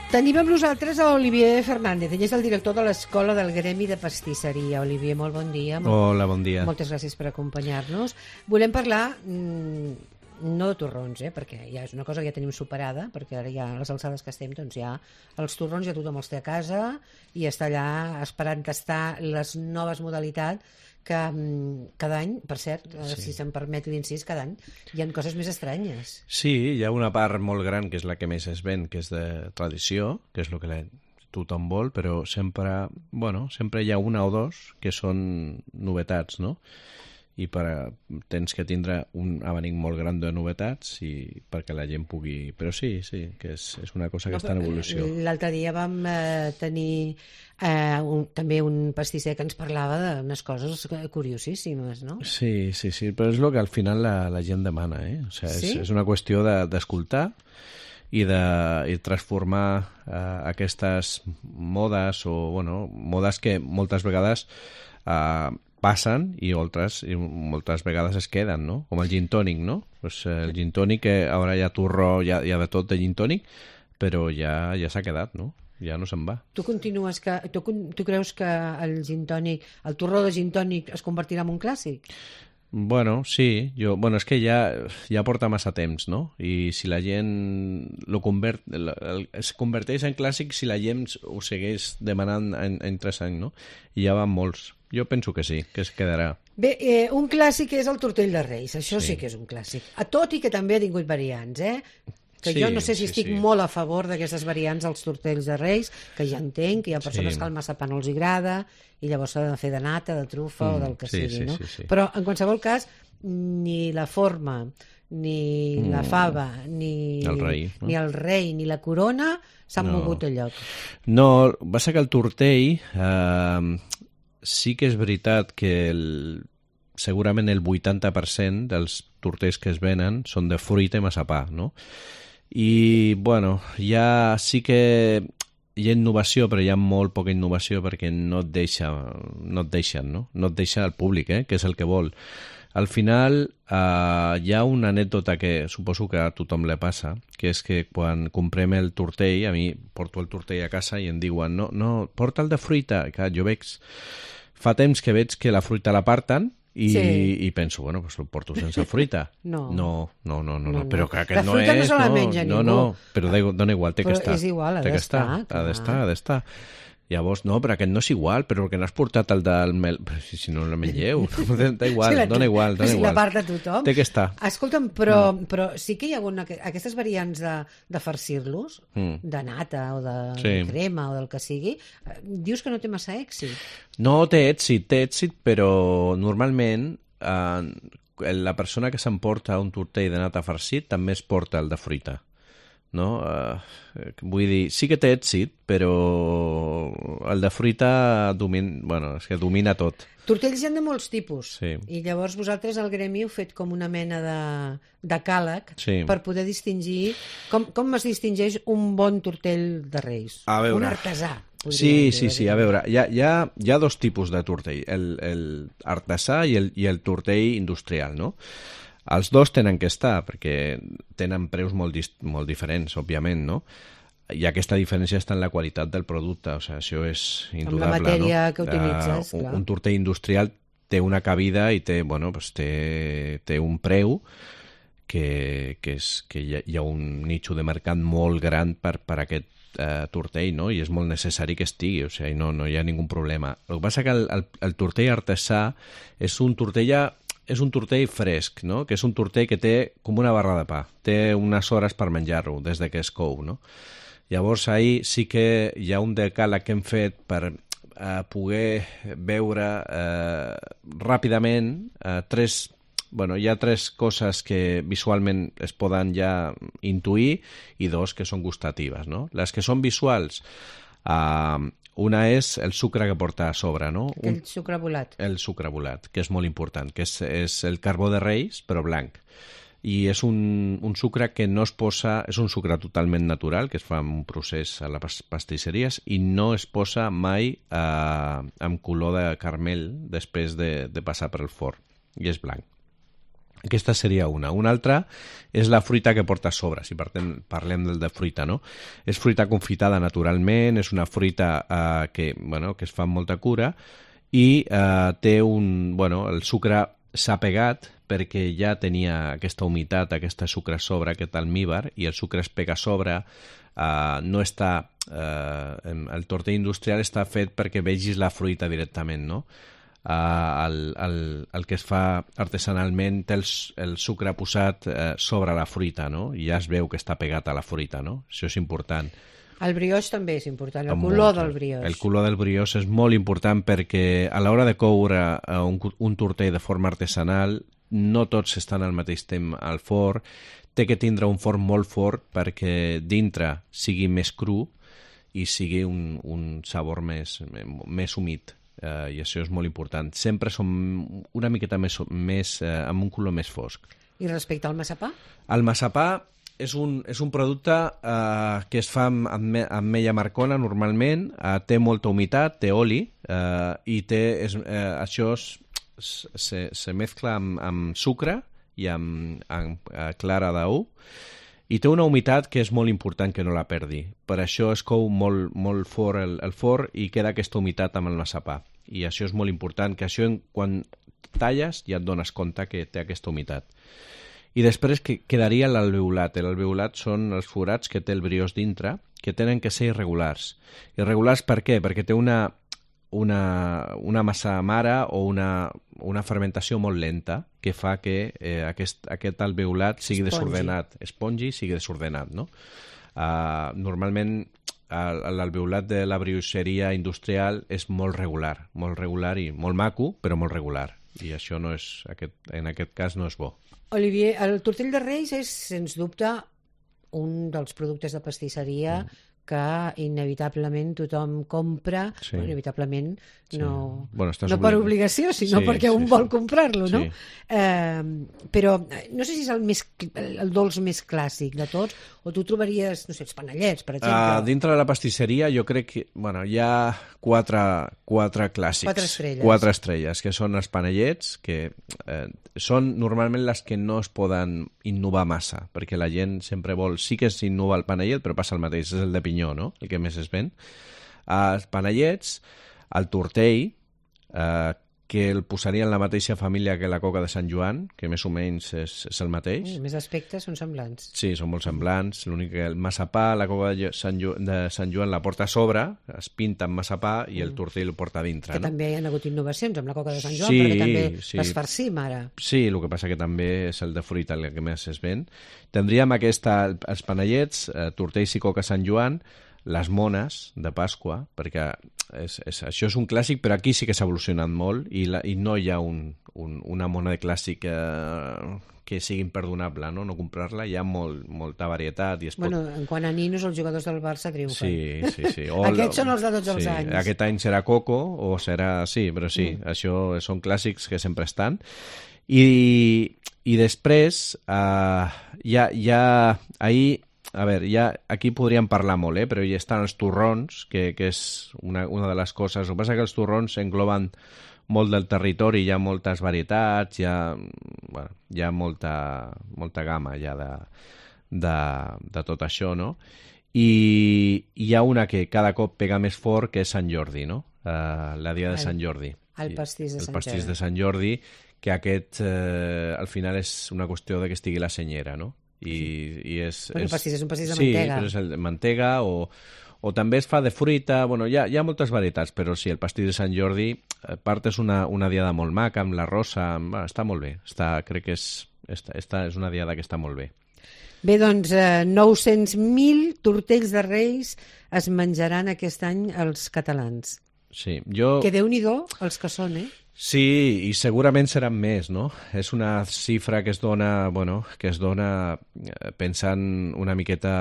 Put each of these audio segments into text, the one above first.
Tenim amb nosaltres a Olivier Fernández. Ell és el director de l'Escola del Gremi de Pastisseria. Olivier, molt bon dia. Hola, bon dia. Moltes gràcies per acompanyar-nos. Volem parlar no de torrons, perquè ja és una cosa que ja tenim superada, perquè ara ja a les alçades que estem, doncs ja els torrons ja tothom els té a casa i està allà esperant tastar les noves modalitats que cada any, per cert, si se'm permet l'incís, cada any hi ha coses més estranyes. Sí, hi ha una part molt gran que és la que més es ven, que és de tradició, que és el que tothom vol, però sempre hi ha una o dos que són novetats, no? I tens que tindre un abanic molt gran de novetats i perquè la gent pugui... Però sí, que és una cosa que està en evolució. L'altre dia vam tenir també un pastisser que ens parlava d'unes coses curiosíssimes, no? Sí, però és el que al final la gent demana, O sigui, és una qüestió d'escoltar i de transformar aquestes modes modes que moltes vegades passen i moltes vegades es queden, no? Com el gin tònic, no? Pues el gin tònic, ara hi ha turró, hi ha de tot de gin tònic, però ja s'ha quedat, no? Ja no se'n va. Tu creus que el gin tònic, el turró de gin tònic es convertirà en un clàssic? Bueno, sí. És que ja porta massa temps, no? I si la gent es converteix en clàssic si la gent ho segueix demanant en 3 anys, no? I ja van molts. Jo penso que sí, que es quedarà. Bé, un clàssic és el tortell de Reis. Això sí que és un clàssic. Tot i que també ha tingut variants, Que jo no sé si estic molt a favor d'aquestes variants als tortells de Reis, que ja entenc que hi ha persones que el massapà no els agrada i llavors s'ha de fer de nata, de trufa o del que sigui, no? Sí. Però en qualsevol cas, ni la forma, ni la fava, ni el rei, ni la corona s'han mogut a lloc. No, va ser que el tortell sí que és veritat que segurament el 80% dels tortells que es venen són de fruita i massapà, no? I, ja sí que hi ha innovació, però hi ha molt poca innovació perquè no et deixen, no? No et deixa el públic, que és el que vol. Al final, hi ha una anècdota que suposo que a tothom li passa, que és que quan comprem el tortell, a mi porto el tortell a casa i em diuen no, porta el de fruita, que jo fa temps que veig que la fruita l'aparten i penso, pues el porto sense fruita. No, però que aquest no és... La fruita no se la menja ningú. No, però dona igual, té que estar. És igual, ha d'estar. Ha d'estar. Llavors, no, però aquest no és igual, però perquè n'has portat el del mel... Però si no el mengeu, dona igual. Si la part de tothom. Té que estar. Escolta'm, però sí que hi ha hagut aquestes variants de farcir-los, de nata o de crema o del que sigui, dius que no té massa èxit. No, té èxit, però normalment la persona que s'emporta un tortell de nata farcit també es porta el de fruita. No? Vull dir, sí que té èxit, però el de fruita domina tot. Tortells hi ha de molts tipus, sí. I llavors vosaltres al gremi heu fet com una mena de càleg per poder distingir com es distingeix un bon tortell de Reis, un artesà. Sí, a veure, hi ha 2 tipus de tortell, el artesà i el tortell industrial, no? Els 2 tenen que estar, perquè tenen preus molt diferents, òbviament, no? I aquesta diferència està en la qualitat del producte, o sigui, això és indudable, amb la matèria que utilitzes, clar. Un tortell industrial té una cabida i té un preu que hi ha un nicho de mercat molt gran per aquest tortell, no? I és molt necessari que estigui, o sigui, no hi ha ningú problema. El que passa que el tortell artesà és un tortell fresc, no? Que és un tortell que té com una barra de pa. Té unes hores per menjar-lo, des que es cou, no? Llavors, ahir sí que hi ha un decàleg que hem fet per poder veure ràpidament hi ha 3 coses que visualment es poden ja intuir i 2 que són gustatives, no? Les que són visuals, una és el sucre que porta a sobre, no? El sucre volat. El sucre volat, que és molt important, que és el carbó de Reis, però blanc. I és un sucre que no es posa... És un sucre totalment natural, que es fa en un procés a les pastisseries, i no es posa mai amb color de caramel després de passar per el forn. I és blanc. Aquesta seria una. Una altra és la fruita que porta a sobre, si parlem del de fruita, no? És fruita confitada naturalment, és una fruita que es fa amb molta cura i té el sucre s'ha pegat perquè ja tenia aquesta humitat, aquesta sucre a sobre, aquest almíbar, i el sucre es pega a sobre, no està... el tortell industrial està fet perquè vegis la fruita directament, no? El que es fa artesanalment té el sucre posat sobre la fruita, no? I ja es veu que està pegat a la fruita, no? Això és important. El brioix també és important, el color del brioix. El color del brioix és molt important perquè a l'hora de coure un tortell de forma artesanal no tots estan al mateix temps al forn, té que tindre un forn molt fort perquè dintre sigui més cru i sigui un sabor més humit. I això és molt important. Sempre som una miqueta més amb un color més fosc. I respecte al massapà? El massapà és un producte que es fa amb ametlla marcona normalment, té molta humitat, té oli i això se mescla amb sucre i amb clara d'ou i té una humitat que és molt important que no la perdi. Per això es cou molt fort el forn i queda aquesta humitat amb el massapà. I això és molt important, que això quan talles ja et dones compte que té aquesta humitat. I després quedaria l'alveolat. L'alveolat són els forats que té el brioix dintre, que tenen que ser irregulars. Irregulars per què? Perquè té una massa mare o una fermentació molt lenta que fa que aquest alveolat sigui desordenat, espongi sigui desordenat, no? Normalment l'alveolat de la brioixeria industrial és molt regular i molt maco, però molt regular. I això no és, en aquest cas no és bo. Olivier, el tortell de Reis és, sens dubte, un dels productes de pastisseria que inevitablement tothom compra, sí. Inevitablement no per obligació, sinó perquè un vol comprar-lo, no? Però no sé si és el dolç més clàssic de tots, o tu trobaries, no sé, els panellets, per exemple. Dintre de la pastisseria jo crec que hi ha quatre clàssics. 4 estrelles, que són els panellets, que són normalment les que no es poden innovar massa, perquè la gent sempre vol, sí que s'innova el panellet, però passa el mateix, és el de pinyó, no? El que més es ven. Els panellets, el tortell, que el posaria en la mateixa família que la coca de Sant Joan, que més o menys és el mateix. Més aspectes són semblants. Sí, són molt semblants. L'únic que el massapà, la coca de Sant Joan la porta a sobre, es pinta amb massapà i el tortell el porta a dintre. Que també hi ha hagut innovacions amb la coca de Sant Joan, perquè també les farcim ara. Sí, el que passa que també és el de fruita el que més es ven. Tindríem els panellets, tortells i coca Sant Joan, les mones de Pasqua, perquè això és un clàssic, però aquí sí que s'ha evolucionat molt i no hi ha una mona de clàssic que sigui imperdonable, no comprar-la, hi ha molta varietat. En quant a ninos, els jugadors del Barça triomfen. Sí. Aquests són els de tots els anys. Aquest any serà Coco, o serà... Sí, però sí, això són clàssics que sempre estan. I després, aquí podríem parlar molt, però hi estan els torrons, que és una de les coses. El que passa és que els torrons engloben molt del territori, hi ha moltes varietats, hi ha molta gamma ja de tot això, no? I hi ha una que cada cop pega més fort, que és Sant Jordi, no? La dia de Sant Jordi. El pastís de Sant Jordi. El pastís de Sant Jordi, que aquest al final és una qüestió de que estigui la senyera, no? El pastís és un pastís de mantega. Sí, però és el de mantega o també es fa de fruita. Hi ha moltes varietats, però sí, el pastís de Sant Jordi, a part és una diada molt maca, amb la rosa, està molt bé. Crec que és una diada que està molt bé. Bé, doncs 900.000 tortells de Reis es menjaran aquest any els catalans. Sí, Que Déu-n'hi-do els que són, Sí, i segurament seran més, no? És una xifra que es dona pensant una miqueta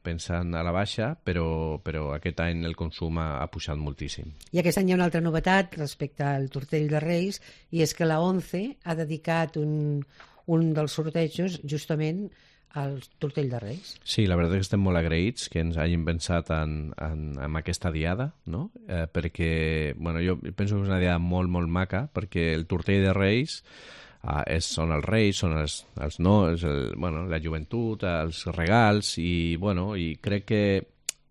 pensant a la baixa, però aquest any el consum ha pujat moltíssim. I aquest any hi ha una altra novetat respecte al tortell de Reis, i és que la ONCE ha dedicat un dels sortejos justament al tortell de Reis. Sí, la veritat és que estem molt agraïts que ens hagin pensat en aquesta diada, no? Perquè, jo penso que és una diada molt, molt maca, perquè el tortell de Reis són els reis, són els no, la joventut, els regals, i crec que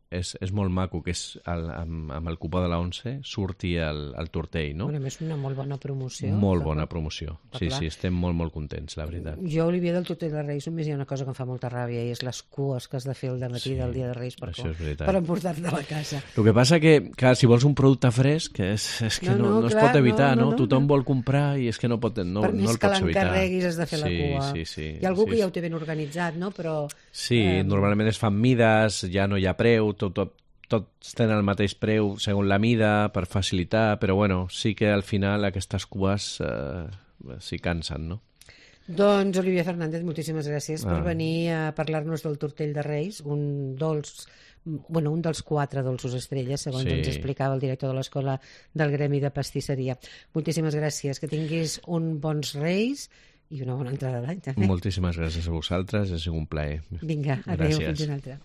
és molt maco que amb el cupó de la 11 surti el tortell, no? Bueno, és una molt bona promoció. Molt bona promoció. Sí, estem molt, molt contents, la veritat. Jo, Olivia, del tortell de Reis només hi ha una cosa que em fa molta ràbia, i és les cues que has de fer el dematí del dia de Reis per emportar-te a la casa. El que passa que, clar, si vols un producte fresc, és que no es pot evitar, no? Tothom vol comprar i és que no el pots evitar. Per més que l'encarreguis has de fer la cua. Sí. Hi ha algú que ja ho té ben organitzat, no? Però... Sí, normalment es fan mides, ja no hi ha preu, tots tenen el mateix preu segons la mida per facilitar, però sí que al final aquestes cues s'hi cansen, no? Doncs, Olivia Fernández, moltíssimes gràcies per venir a parlar-nos del tortell de Reis, un dels 4 dolços estrelles, segons ens explicava el director de l'Escola del Gremi de Pastisseria. Moltíssimes gràcies, que tinguis un bons Reis i una bona entrada d'any, també. Moltíssimes gràcies a vosaltres, ha sigut un plaer. Vinga, adéu, fins una altra.